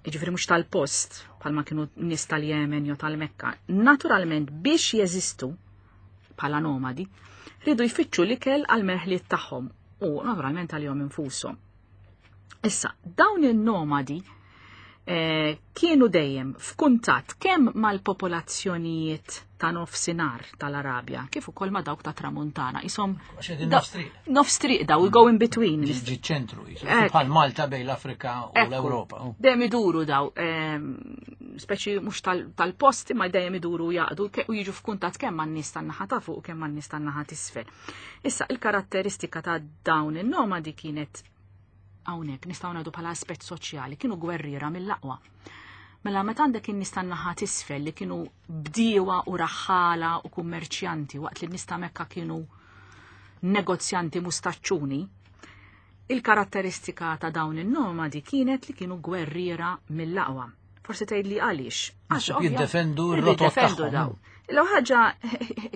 jiġifieri mhux tal-post bħalma kienu nies tal-Jemen jew tal-Mekka, naturalment biex jeżistu bħala nomadi, ridu jfittxu l-ikel għal merħliet tagħhom u naturalment għalihom infushom. Issa, dawn in-nomadi eh, kienu dejjem f'kuntatt kemm mal-popolazzjonijiet ta' nofsinhar tal-Arabja, kif ukoll ma' dawk ta' tramuntana. Isom nofstriq daw, we go in between. Ġi ċentru, bħal Malta bejn l-Afrika u l-Ewropa. Dejjem iduru daw, ehm, speċi mhux tal-post imma dejjem iduru jaqdu u jiġu f'kuntatt kemm man-nies tan-naħa ta' fuq u kemm man-nies tan-naħa t'isfel. Issa, il-karatteristika ta' dawn in-nomadi kienet hawnhekk nistgħu ngħidu bħala aspett soċjali, kienu gwerriera mill-aqwa. Mela meta għandek in-nies tan-naħa t'isfel li kienu bdiewa u raħħala u kummerċjanti waqt li n-nies ta' Mekka kienu negozjanti mustaċċuni, il-karatteristika ta' dawn in-nomadi kienet li kienu gwerriera mill-aqwa. Forsi tgħid li għaliex. Għax jiddefendu r-rotot tagħhom. L ħaġa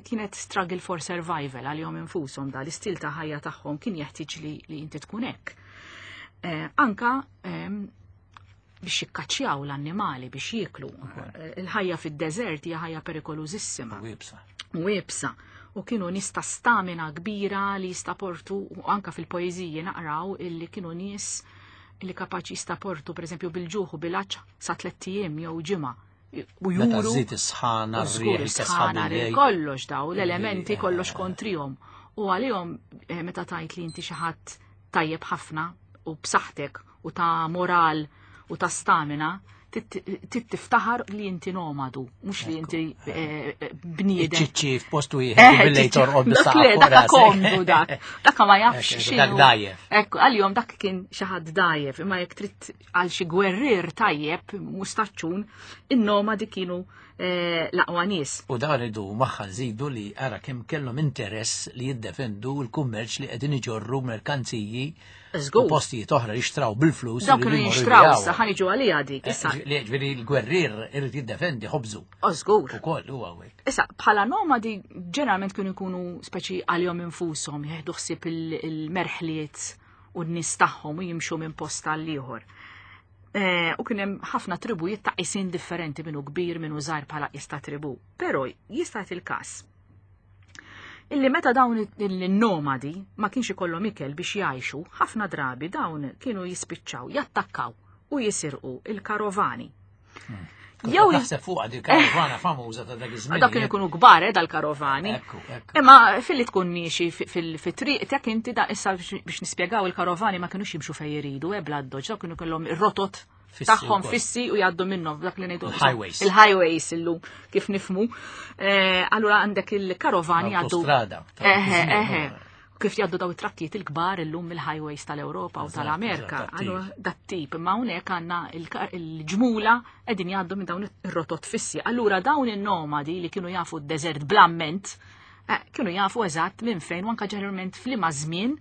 kienet struggle for survival għalihom infushom da l-istil ta' ħajja tagħhom kien jeħtieġ li, li inti tkun hekk. Eh, anka ehm, biex jikkaċċjaw l-annimali biex jieklu. Eh, il-ħajja fid-deżert hija ħajja perikolużissima. U iebsa. U kienu nies ta' stamina kbira li jistaportu u anka fil-poeżiji naqraw illi kienu nies li kapaċi jistaportu pereżempju bil-ġuħ u bil-għatx sa tlett ijiem jew ġimgħa. U juru. Żid is-sħana, is-sħana, kollox daw, l-elementi kollox kontrihom. U għalihom eh, meta tajt li inti xi ħadd tajjeb ħafna u b'saħħtek u ta' moral u ta' stamina, trid tiftaħar li inti nomadu, mhux li inti eh, eh, bniedem. Ċiċċi f'postu wieħed eh, billi torqod bis-saħħa. Dak komdu dak. Dak ma jafx xi. Dak dajjef. Ekku, għal-jom dak kien xi ħadd dajjef, imma jekk trid għal xi gwerrier tajjeb mustaċċun, in-nomadi kienu l-aqwa nies. U dan ridu magħha nżidu li ara kemm kellhom interess li jiddefendu l-kummerċ li qegħdin iġorru merkanziji u postijiet oħra li xtraw bil-flus. Dawk kienu jinxtraw issa ħa niġu għalija dik. Eh, issa. Ġifieri l-gwerrier irid jiddefendi ħobżu. Żgur. Ukoll huwa hekk. Issa bħala nomadi ġeneralment kienu jkunu speċi għalihom infushom jieħdu ħsieb il-merħliet u n-nies tagħhom u jimxu minn post għal ieħor. Eh, u kien hemm ħafna tribujiet ta' isin differenti minnu kbir minnu żgħir bħala qis ta' tribu. Però jista' il-każ illi meta dawn il-nomadi ma kienx ikollhom ikel biex jgħixu, ħafna drabi dawn kienu jispiċċaw, jattakkaw u jisirqu il-karovani. Hmm. Jew naħseb fuq di karovana famuża ta' dak iż-żmien. Dak kienu jkunu kbar eh, dal-karovani. Imma filli tkun miexi fit-triq tek inti da issa biex nispjegaw il-karovani ma kienux jimxu fejn jridu, eh, bla doġ, dawk kienu kellhom ir-rotot tagħhom fissi u jgħaddu minnhom dak li ngħidu. Il-highways. Il-highways illum kif nifmu. Eh, allura għandek il-karovani jgħaddu. Autostrada. Eħe, eħe kif jgħaddu daw it-trakkijiet il-kbar illum mill-highways tal-Ewropa u tal-Amerika. Allura dat-tip, imma hawnhekk għandna il-ġmula qegħdin jgħaddu minn dawn ir-rotot fissi. Allura dawn in-nomadi li kienu jafu d-deżert blamment, eh, kienu jafu eżatt minn fejn u anke ġeneralment f'liema żmien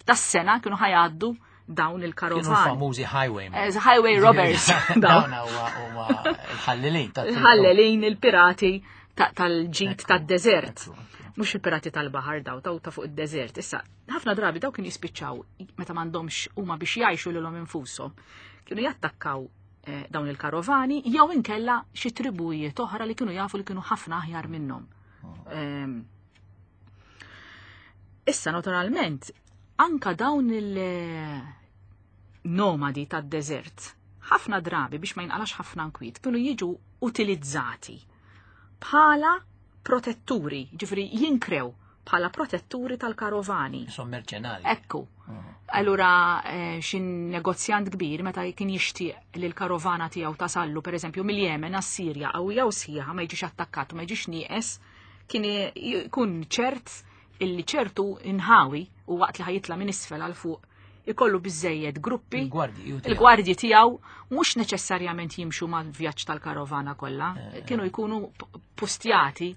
tas-sena kienu ħajgħaddu dawn il-karovani. Kienu famużi highway. Eh, highway robbers. Dawn huma l-ħallelin. Il-ħallelin, il-pirati tal-ġid tad-deżert. Mhux il-pirati tal-baħar daw, taw ta' fuq id-deżert. Issa, ħafna drabi daw kienu jispiċċaw meta m'għandhomx huma biex jgħixu lilhom infushom. Kienu jattakkaw eh, dawn il-karovani jew inkella xi tribujiet oħra li kienu jafu li kienu ħafna aħjar minnhom. Oh. Ehm, issa naturalment. Anka dawn il-nomadi tad-deżert, ħafna drabi biex ma jinqalax ħafna nkwiet, kienu jiġu utilizzati bħala protetturi, ġifri jinkrew bħala protetturi tal-karovani. Som merċenali. Ekku. Allura eh, xi negozjant kbir meta kien jixtieq li l-karovana tiegħu tasallu pereżempju mill-Jemen għas-Sirja qawwija u sħiħa ma jiġix attakkat u ma jiġix nieqes, kien jkun ċert illi ċertu inħawi u waqt li ħajitla minn isfel għal fuq ikollu biżejjed gruppi. Il-gwardji tiegħu mhux neċessarjament jimxu mal-vjaġġ tal-karovana kollha, eh, eh. kienu jkunu pustjati.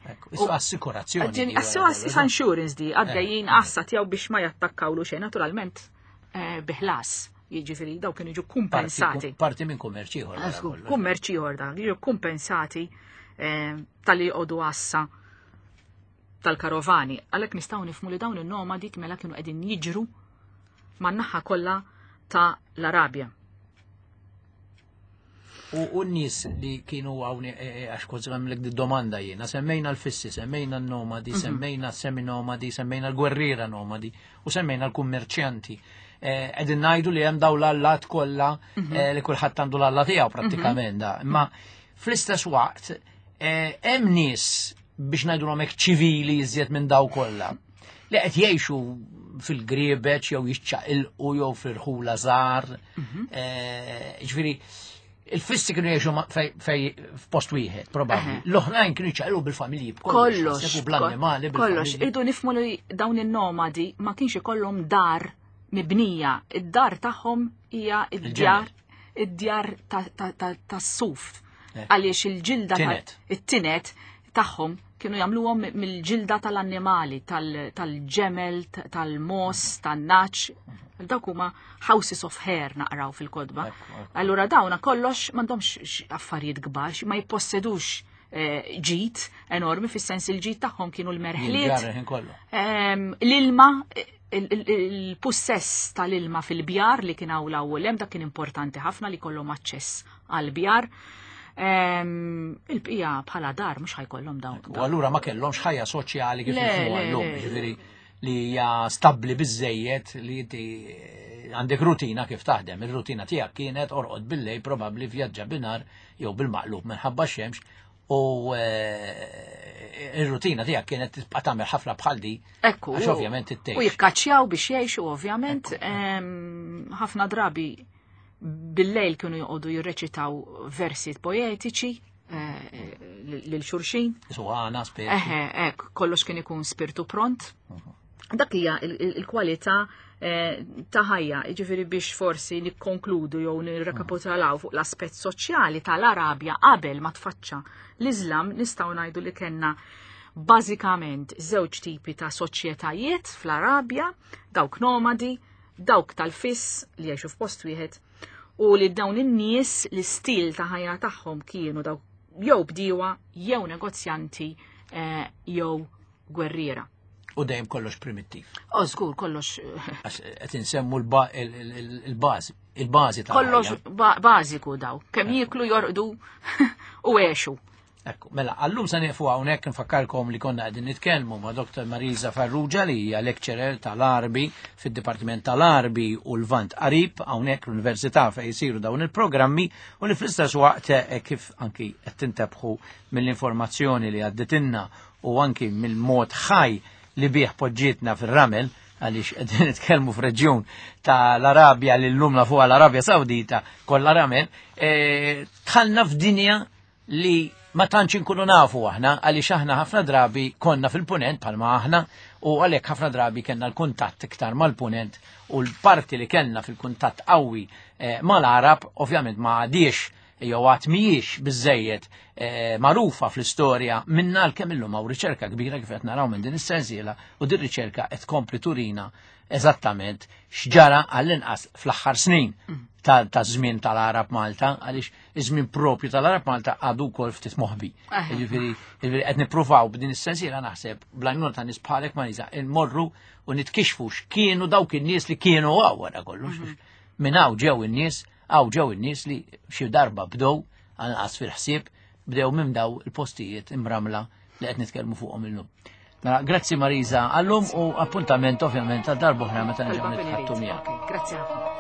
Assikurazzjoni. Assurance di għaddejjin eh, għassa tiegħu biex ma jattakkawlu xejn naturalment biħlas. Jiġifieri daw kienu jiġu kumpensati. Parti minn kummerċ ieħor. Kummerċ ieħor da, jiġu kumpensati tal-li jqogħdu għassa tal-karovani. Għalhekk nistgħu nifhmu li dawn in-nomadi mela kienu qegħdin jiġru man-naħa kollha ta' l-Arabja. U n-nies li kienu għawni, e, e, għax kont għamlek di domanda jiena, semmejna l-fissi, semmejna l-nomadi, mhm. semmejna semi-nomadi, semmejna l-gwerriera nomadi u semmejna l-kummerċjanti. E, qegħdin ngħidu li hemm daw l-allat kollha mhm. li kulħadd għandu l-alla tiegħu mhm. prattikament da. Imma fl-istess waqt hemm nies biex ngħidulhom hekk ċivili iżjed minn daw kollha li qed jgħixu fil-griebeċ jew jiċċaqilqu jew fil-ħula żgħar. Mhm. Eh, ġifieri il-fissi kienu jgħixu fej f'post wieħed, probabbli. L-oħrajn kienu jċaqilqu bil-familji b'kollox, bl-annimali. Kollox, irdu nifmu li dawn in-nomadi ma kienx ikollhom dar mibnija. Id-dar tagħhom hija id-djar id-djar tas-suf. Eh. Għaliex il-ġilda it-tinet tagħhom kienu jagħmluhom mill-ġilda tal-annimali, tal-ġemel, tal-mos, tan-naċ. Dawk huma houses of hair naqraw fil-kodba. Allura dawna kollox m'għandhomx affarijiet kbar, ma jippossedux eh, ġid enormi fis-sens il-ġid tagħhom kienu l-merħliet. L-ilma il-pussess tal-ilma fil-bjar li kien hawn l-ewwel hemm dak kien importanti ħafna li kollhom aċċess għall-bjar. Ehm, il-bqija bħala dar mhux ħajkollhom dawn. U allura ma kellhomx ħajja soċjali kif nifhmuha llum, ġifieri li hija stabbli biżejjed li inti eh, għandek rutina kif taħdem. Ir-rutina tiegħek kienet orqod billej probabbli vjaġġa binar jew bil-maqlub minħabba xemx U eh, ir-rutina tiegħek kienet tibqa' tagħmel ħafna bħal di. Ekku. Għax ovvjament ittejx. U jikkaċċjaw biex jgħixu ovvjament ħafna drabi bil-lejl kienu joqogħdu jirreċitaw versi poetiċi eh, lil xulxin. Suħana, spirtu. Eħe, ek, kollox kien ikun spirtu pront. Mhm. Dak hija il-kwalità eh, ta' ħajja, jiġifieri biex forsi nikkonkludu jew nirrekapitolaw fuq l-aspett soċjali tal-Arabja qabel ma tfaċċa l-Iżlam nistgħu ngħidu li kellna bażikament żewġ tipi ta' soċjetajiet fl-Arabja, dawk nomadi, dawk tal-fiss li jgħixu f'post wieħed u li dawn in-nies l-istil ta' ħajja tagħhom kienu dawk jew bdiewa jew negozjanti eh, jew gwerriera. U dejjem kollox primittiv. O, żgur, kollox. Qed insemmu l-bażi, il-bażi ta' Kollox bażiku daw. Kemm jieklu jorqdu u għexu. Ekku, mela, għallum se nieqfu hawnhekk nfakkarkom li konna qegħdin nitkellmu ma' Dr. Marisa Farrugia li hija lecturer tal-Arbi fid-Dipartiment tal-Arbi u l-Vant Qarib hawnhekk l-Università fejn jsiru dawn il-programmi u li fl-istess waqt eh, kif anki qed tintebħu mill-informazzjoni li għadditilna u anki mill-mod ħaj li bih poġġietna fir-ramel għaliex qegħdin nitkellmu f'reġjun tal-Arabja li llum nafuha l-Arabja Sawdita kollha ramel, e, tħallna f'dinja li ma tantx inkunu nafu aħna għaliex aħna ħafna drabi konna fil-punent bħalma aħna u għalhekk ħafna drabi kellna l-kuntatt iktar mal-punent u l-parti li kellna fil-kuntatt qawwi e, mal-Arab ovvjament ma għadiex jew għad mhijiex biżejjed eh, magħrufa fl-istorja minna għalkemm illum hawn riċerka kbira kif qed naraw minn din is-sensiela u din riċerka qed tkompli turina eżattament x'ġara għall-inqas fl-aħħar snin mm. ta' żmien tal-Arab Malta għaliex iż-żmien propju tal-Arab Malta għadu wkoll ftit moħbi. Jiġifieri qed nippruvaw b'din is-sensiela naħseb bl-għajnuna ta' nies bħalek Marisa nmorru u nitkixfu x'kienu dawk in-nies li kienu hawn wara kollox. Mm-hmm. Minn hawn ġew in-nies Hawn ġew in-nies li xi darba bdew, anqas fil-ħsieb, bdew minn daw il-postijiet imramla li qed nitkellmu fuqhom illum. Mela, grazzi Marisa għallum u appuntament ovvjament għal darb'oħra meta nerġgħu nitħattu miegħek. Grazzi ħafna.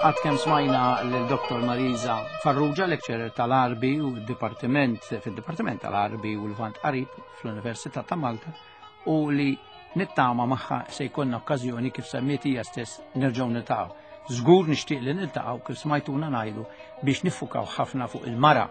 Għad kemm smajna l-Dr. Marisa Farrugia, lecturer tal-Arbi u d-Dipartiment fil-Dipartiment tal-Arbi u l-Vant Qarib fl-Università ta' Malta u li nittama magħha se jkollna okkażjoni kif semmiet hija stess nerġgħu niltaqgħu. Żgur nixtieq li niltaqgħu kif smajtuna ngħidu biex niffukaw ħafna fuq il-mara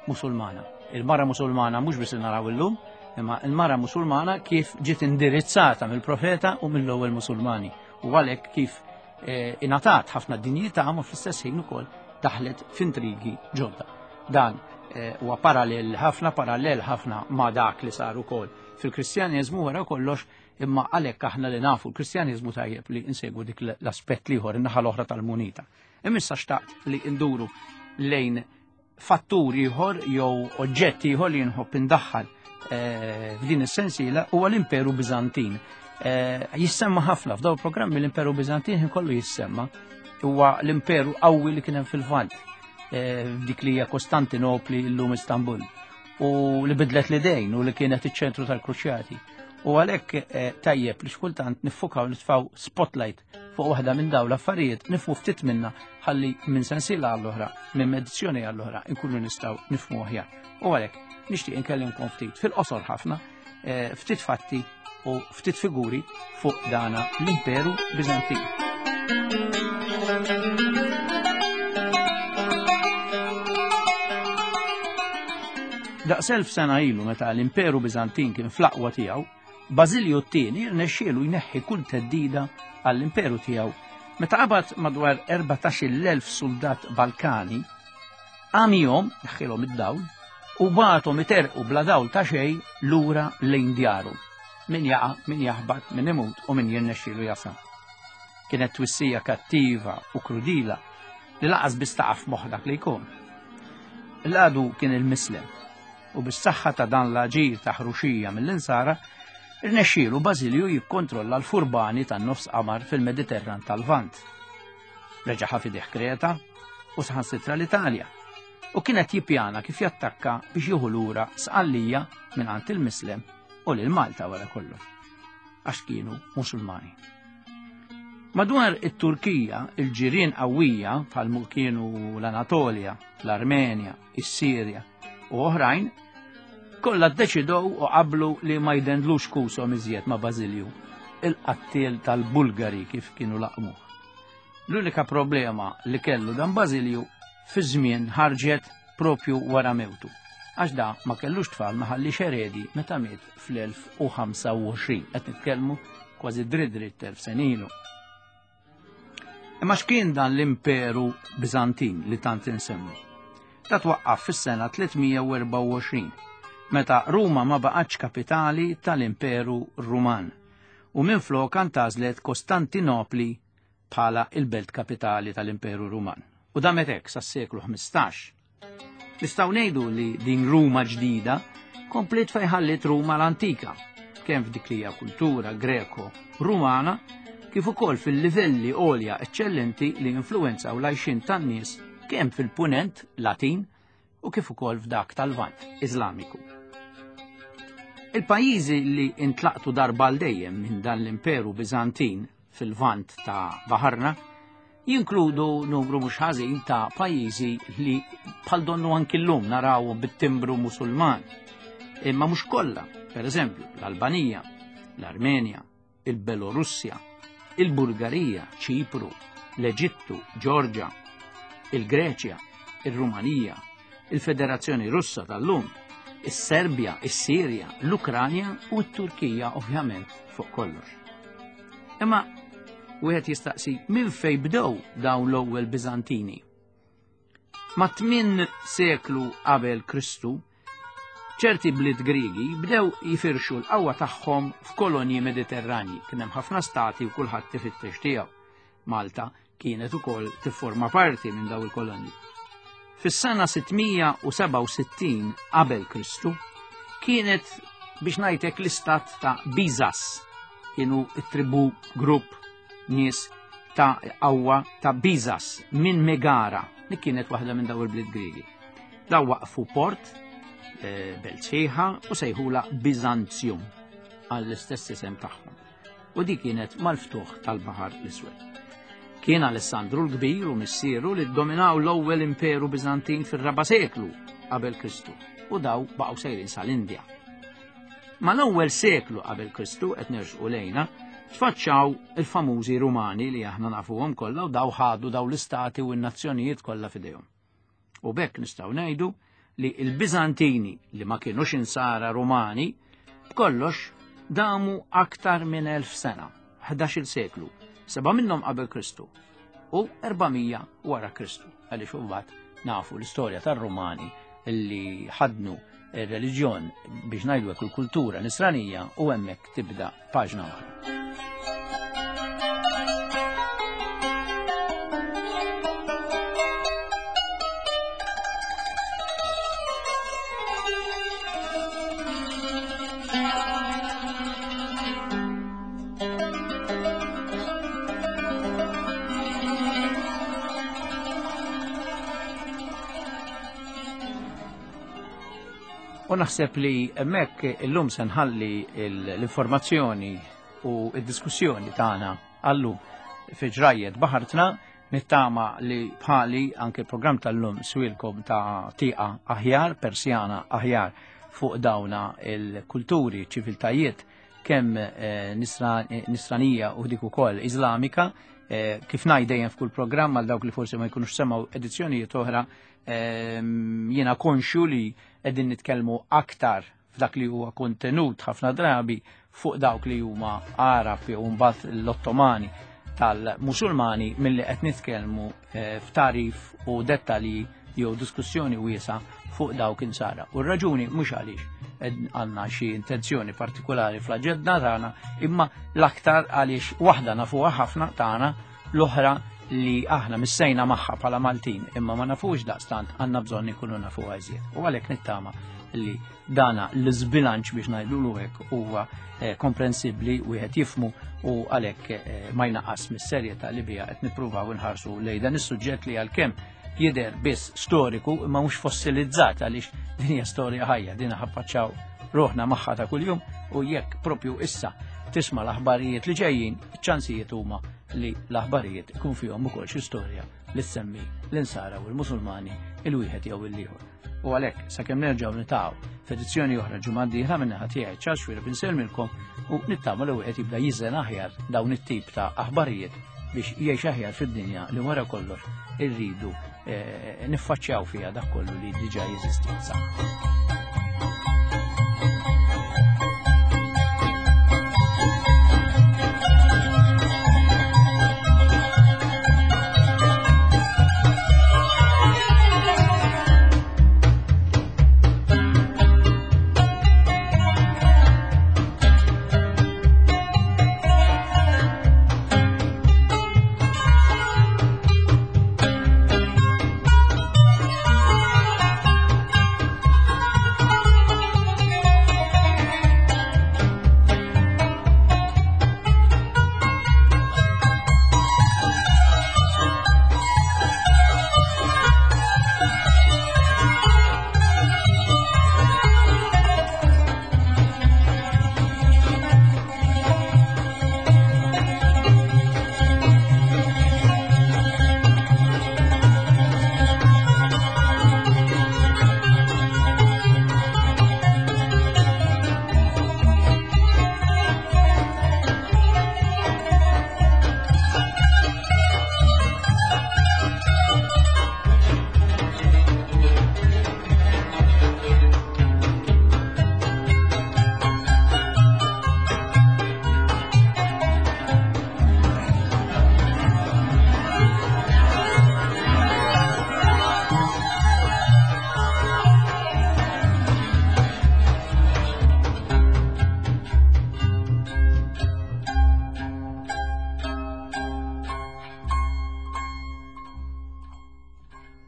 musulmana. Il-mara musulmana mhux biss naraw illum, imma il-mara musulmana kif ġiet indirizzata mill-profeta u mill-ewwel musulmani. U għalhekk kif eh, ingħatat ħafna dinjità ma fl-istess ħin ukoll daħlet f'intrigi ġodda. Dan eh, huwa parallel ħafna parallel ħafna ma' dak li sar ukoll fil-Kristjaneżmu wara kollox imma għalhekk aħna li nafu l-Kristjaneżmu tajjeb li insegwu dik l-aspett l-ieħor in-naħa l-oħra tal-munita. Imma xtaqt li nduru lejn fattur ieħor jew oġġett ieħor li nħobb indaħħal eh, f'din is-sensiela huwa l-Imperu Biżantin. Eh, jissemma ħafna f'daw programmi l-Imperu Biżantin kollu jissemma huwa l-imperu qawwi li kien hemm fil-Lvant eh, f'dik li hija Kostantinopli llum Istanbul u li bidlet l-idejn u li kienet iċ-ċentru tal-Kruċjati. U għalhekk tajjeb li xkultant niffukaw nitfaw spotlight fuq waħda minn dawn l-affarijiet nifmu ftit minna ħalli minn sensiela għall-oħra, minn edizzjoni għall-oħra, nkunu nistgħu nifmu aħjar. U għalhekk nixtieq inkellimkom ftit fil-qosor ħafna, eh, ftit fatti u ftit figuri fuq dana l-Imperu Bizantin. Daqs elf sena ilu meta l-Imperu Bizantin kien fl-aqwa tiegħu, Bażilju t-tieni rnexxielu jneħħi kull theddida għall-imperu tiegħu meta qabad madwar 14,000 suldat Balkani, għamihom, neħħilhom id-dawl, u bagħathom iterqu bla dawl ta' xejn lura lejn djarhom. Min jaqa', min jaħbat, min imut u min jirnexxielu jasal. Kienet twissija kattiva u krudila li laqas biss taqa' f'moħħ dak li jkun. L-għadu kien il-mislem u bis-saħħa ta' dan l-aġir ta' ħruxija mill-insara, irnexxielu Bażilju jikkontrolla l-furbani tan-nofs qamar fil-Mediterran tal-Lvant. Reġa' ħa f'idejh Kreta u saħansitra l-Italja u kien qed jippjana kif jattakka biex jieħu lura Sqallija mingħand il-Mislem u lil Malta wara kollox, għax kienu Musulmani. Madwar it-Turkija, il-ġirien qawwija bħal kienu l-Anatolja, l-Armenja, is-Sirja u oħrajn, kollha ddeċidew u qablu li ma jdendlux kushom iżjed ma' Bażilju, il-qattiel tal-Bulgari kif kienu laqmuh. L-unika problema li kellu dan Bażilju fi żmien ħarġet propju wara mewtu, għax da ma kellux tfal ma ħallix eredi meta miet fl-1025, qed nitkellmu kważi dritt dritt elf sena ilu. Imma x'kien dan l-Imperu Biżantin li tant insemmu? Da twaqqaf fis-sena 324, meta Ruma ma baqgħetx kapitali tal-Imperu Ruman u minflok antgħażlet Kostantinopli bħala il-belt kapitali tal-Imperu Ruman. U damet hekk sas-seklu 15. Nistgħu ngħidu li din Ruma ġdida kompliet fejn ħalliet Ruma l-antika, kemm f'dik li hija kultura Greko-Rumana, kif ukoll fil-livelli għolja eċċellenti li influwenzaw l-għajxien tan-nies kemm fil-Punent Latin u kif ukoll f'dak tal-Lvant Iżlamiku. Il-pajjiżi li intlaqtu darba għal dejjem minn dan l-Imperu Biżantin fil-Lvant ta' baħarna jinkludu numru mhux ħażin ta' pajjiżi li bħal donnu anki llum narawhom bit-timbru Musulman. Imma mhux kollha, pereżempju l-Albanija, l-Armenja, il-Belorussja, il-Bulgarija, Ċipru, l-Eġittu, Ġorġa, il-Greċja. ir-Rumanija, il-Federazzjoni Russa tal-lum, is-Serbja, is-Sirja, l-Ukranja u t-Turkija ovvjament fuq kollox. Imma wieħed jistaqsi minn fejn bdew dawn l-ewwel Biżantini. Ma' tmien seklu qabel Kristu, ċerti bliet Griegi bdew jifirxu l-qawwa tagħhom f'kolonji Mediterranji. Kien hemm ħafna stati u kulħadd ifittex tiegħu. Malta kienet ukoll tifforma parti minn daw il-kolonji. Fis-sena 667 qabel Kristu kienet biex ngħidlek l-istat ta' Bizas kienu t-tribu grupp nies ta' qawwa ta' Bizas minn Megara li kienet waħda minn daw il-bliet Griegi. Daw waqfu port eh, belt sħiħa u sejħula Bizantium għall-istess isem tagħhom. U di kienet mal-ftuħ tal-Baħar l-Iswed. Kien Alessandru l-Kbir u missieru li ddominaw l-ewwel imperu Biżantin fir-raba' seklu qabel Kristu u daw baqgħu sejrin sal-Indja. Mal-ewwel seklu qabel Kristu qed nersqu lejna, tfaċċaw il-famużi Rumani li aħna nafuhom kollha u daw ħadu daw l-istati u n-nazzjonijiet kollha f'idejhom. U bekk nistgħu ngħidu li l-Biżantini li ma kienux insara Rumani b'kollox damu aktar minn elf sena, 11-il seklu, seba' minnhom qabel Kristu u 400 wara Kristu, għaliex imbagħad nafu l-istorja tar-Rumani li ħadnu ir-reliġjon biex ngħidu hekk il-kultura nisranija u hemmhekk tibda paġna oħra. U naħseb li hemmhekk illum se nħalli l-informazzjoni u d-diskussjoni tagħna għallum fi ġrajjet baħartna nittama li bħali anke l-programm tal-lum swilkom ta' tieqa aħjar, persjana aħjar fuq dawna il-kulturi, ċiviltajiet kemm eh, nisranija u dik ukoll Iżlamika, eh, kif ngħid dejjem f'kull programm għal dawk li forsi ma jkunux semgħu edizzjonijiet oħra, ehm, jiena konxju li qegħdin nitkellmu aktar f'dak li huwa kontenut ħafna drabi fuq dawk li huma Arab jew mbagħad l-Ottomani tal-Musulmani milli qed nitkellmu eh, f'tarif u dettalji jew diskussjoni wiesa fuq dawk insara. U r-raġuni mhux għaliex għandna xi intenzjoni partikolari fl-aġenda tagħna, imma l-aktar għaliex waħda nafuha ħafna tagħna l-oħra li aħna missejna magħha bħala Maltin imma ma nafux daqstant għandna bżonn ikunu nafuha iżjed. U għalhekk nittama li dana l-żbilanċ biex ngħidulu hekk huwa eh, komprensibbli wieħed jifmu u għalhekk eh, ma jnaqqas mis-serjetà li biha qed nippruvaw inħarsu lejn dan is-suġġett li għalkemm jidher biss storiku imma mhux fossilizzat għaliex din hija storja ħajja, din ħaffaċċaw ruħna magħha ta' kuljum u jekk propju issa tisma' l-aħbarijiet li ġejjin, iċ-ċansijiet huma li l-aħbarijiet ikun fihom ukoll xi storja li ssemmi l-insara u l-Musulmani il-wieħed jew il-ieħor. U għalhekk sakemm nerġgħu nitaqgħu f'edizzjoni oħra ġimgħa d-dieħla minn naħa tiegħi Charles Xuereb insellmilkom u nittama li wieħed jibda jiżen aħjar dawn it-tip ta' aħbarijiet biex jgħix aħjar fid-dinja li wara kollox irridu eh, niffaċċjaw fiha dak kollu li diġà jeżisti.